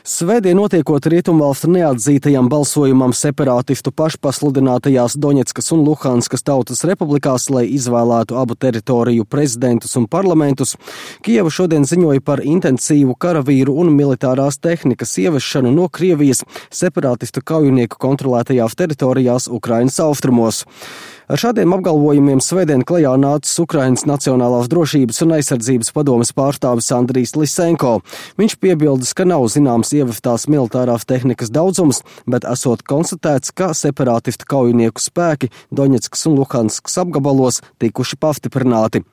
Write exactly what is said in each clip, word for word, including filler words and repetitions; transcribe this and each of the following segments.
Svētdien notiekot Rietumvalstu neatzītajam balsojumam separātistu pašpasludinātajās Doņetskas un Luhanskas tautas republikās, lai izvēlētu abu teritoriju prezidentus un parlamentus, Kijeva šodien ziņoja par intensīvu karavīru un militārās tehnikas ievešanu no Krievijas separātistu kaujinieku kontrolētajās teritorijās Ukrainas austrumos. Ar šādiem apgalvojumiem svētdien klajā nācis Ukrainas Nacionālās drošības un aizsardzības padomes pārstāvis Andrijs Lisenko. Viņš piebildes, ka nav zināms ieveftās militārās tehnikas daudzums, bet esot konstatēts, ka separātistu kaujinieku spēki Doņetskas un Luhanskas apgabalos tikuši pastiprināti.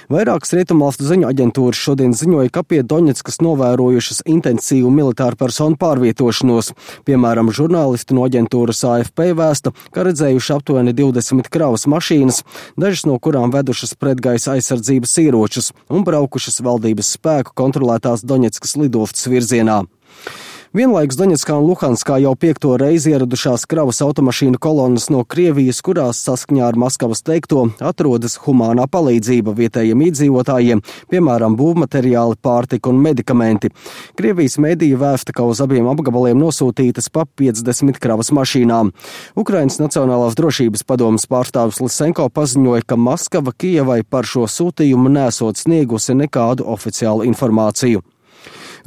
Vairākas Rietumvalstu ziņu aģentūras šodien ziņoja, ka pie Doņetskas novērojušas intensīvu militāru personu pārvietošanos. Piemēram, žurnālisti no aģentūras A F P vēsta, ka redzējuši aptuveni divdesmit kravas mašīnas, dažas no kurām vedušas pretgaisa aizsardzības ieročus un braukušas valdības spēku kontrolētās Doņetskas lidostas virzienā. Vienlaikus Doņetskā un Luhanskā jau piekto reizi ieradušās kravas automašīnu kolonas no Krievijas, kurās saskaņā ar Maskavas teikto atrodas humānā palīdzība vietējiem iedzīvotājiem, piemēram, būvmateriāli, pārtika un medikamenti. Krievijas mediji vēsta, ka uz abiem apgabaliem nosūtītas pa piecdesmit kravas mašīnām. Ukrainas Nacionālās drošības padomes pārstāvis Lisenko paziņoja, ka Maskava Kijevai par šo sūtījumu nesot sniegusi nekādu oficiālu informāciju.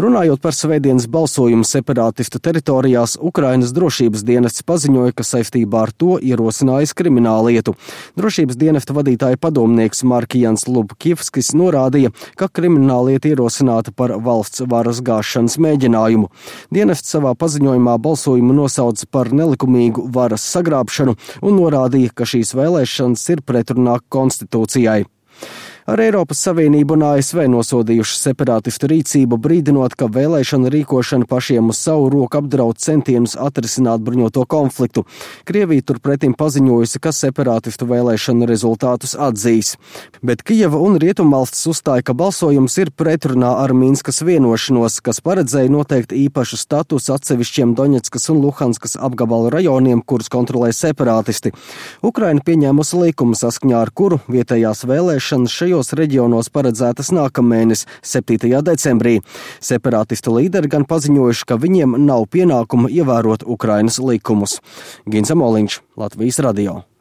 Runājot par svētdienas balsojumu separātistu teritorijās, Ukrainas drošības dienests paziņoja, ka saistībā ar to ierosinājis krimināllietu. Drošības dienesta vadītāja padomnieks Markijans Lubkivskis norādīja, ka krimināllieta ierosināta par valsts varas gāšanas mēģinājumu. Dienests savā paziņojumā balsojumu nosauca par nelikumīgu varas sagrābšanu un norādīja, ka šīs vēlēšanas ir pretrunā konstitūcijai. Ar Eiropas Savienību un A S V nosodījuši separātistu rīcību, brīdinot, ka vēlēšana rīkošana pašiem uz savu roku apdraud centienus atrisināt bruņoto konfliktu. Krievija turpretim paziņojusi, ka separātistu vēlēšanu rezultātus atzīs. Bet Kijeva un Rietumvalstis uzstāja, ka balsojums ir pretrunā ar Minskas vienošanos, kas paredzēja noteikt īpašu statusu atsevišķiem Doņetskas un Luhanskas apgabalu rajoniem, kurus kontrolē separātisti. Ukraina pieņēmusi likumu, saskaņā ar kuru vietējās vēlēšanas šajos reģionos paredzētas nākamēnes, septītajā decembrī. Separātistu līderi gan paziņojuši, ka viņiem nav pienākuma ievērot Ukrainas likumus. Gins Amoliņš, Latvijas radio.